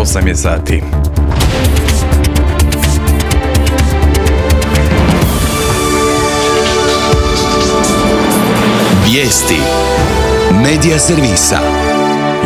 8 je sati. Vijesti Medija servisa.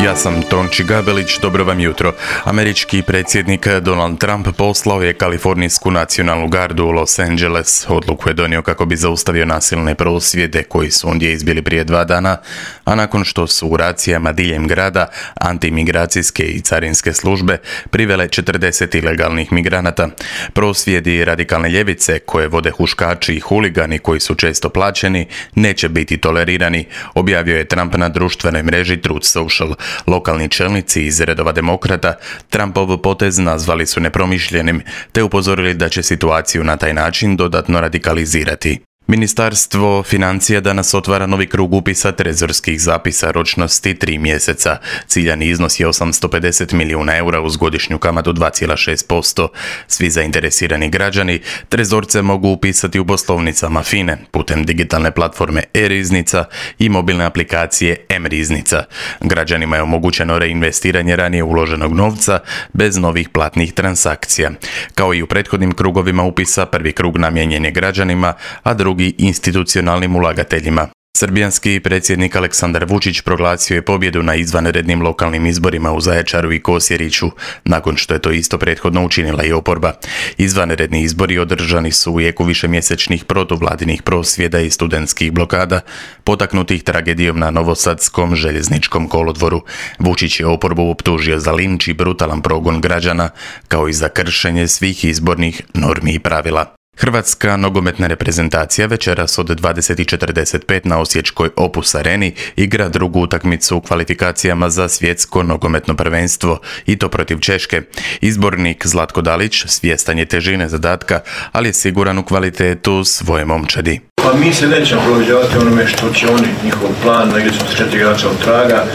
Ja sam Tonči Gabelić, dobro vam jutro. Američki predsjednik Donald Trump poslao je kalifornijsku nacionalnu gardu u Los Angeles. Odluku je donio kako bi zaustavio nasilne prosvjede koji su ondje izbili prije 2 dana, a nakon što su u racijama diljem grada antimigracijske i carinske službe privele 40 ilegalnih migranata. Prosvjedi radikalne ljevice koje vode huškači i huligani koji su često plaćeni neće biti tolerirani, objavio je Trump na društvenoj mreži Truth Social. Lokalni čelnici iz redova demokrata Trumpov potez nazvali su nepromišljenim, te upozorili da će situaciju na taj način dodatno radikalizirati. Ministarstvo financija danas otvara novi krug upisa trezorskih zapisa ročnosti 3 mjeseca. Ciljani iznos je 850 milijuna eura uz godišnju kamatu 2,6%. Svi zainteresirani građani trezorce mogu upisati u poslovnicama FINE putem digitalne platforme e-riznica i mobilne aplikacije m-riznica. Građanima je omogućeno reinvestiranje ranije uloženog novca bez novih platnih transakcija. Kao i u prethodnim krugovima upisa, prvi krug namijenjen je građanima, a drugi institucionalnim ulagateljima. Srbijanski predsjednik Aleksandar Vučić proglasio je pobjedu na izvanrednim lokalnim izborima u Zaječaru i Kosjeriću, nakon što je to isto prethodno učinila i oporba. Izvanredni izbori održani su u jeku višemjesečnih protuvladinih prosvjeda i studentskih blokada, potaknutih tragedijom na novosadskom željezničkom kolodvoru. Vučić je oporbu optužio za linč i brutalan progon građana, kao i za kršenje svih izbornih normi i pravila. Hrvatska nogometna reprezentacija večeras od 20:45 na osječkoj Opus Areni igra drugu utakmicu u kvalifikacijama za svjetsko nogometno prvenstvo, i to protiv Češke. Izbornik Zlatko Dalić svjestan je težine zadatka, ali je siguran u kvalitetu svoje momčadi. Pa mi se nećemo prilagođavati onome što će oni, njihov plan, negdje smo s 4 igrača od traga,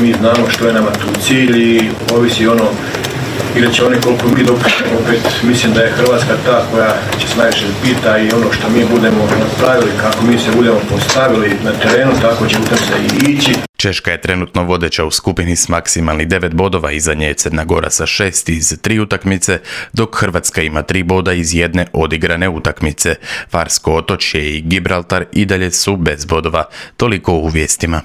mi znamo što je nama tu cilj i ovisi ono igrat će oni koliko mi dopuštamo. Opet mislim da je Hrvatska ta koja će se najviše pita i ono što mi budemo napravili, kako mi se budemo postavili na terenu, tako će u tom se i ići. Češka je trenutno vodeća u skupini s maksimalnih 9 bodova, iza nje je Crna Gora sa 6 iz 3 utakmice, dok Hrvatska ima 3 boda iz 1 odigrane utakmice. Farsko otočje i Gibraltar i dalje su bez bodova. Toliko u vijestima.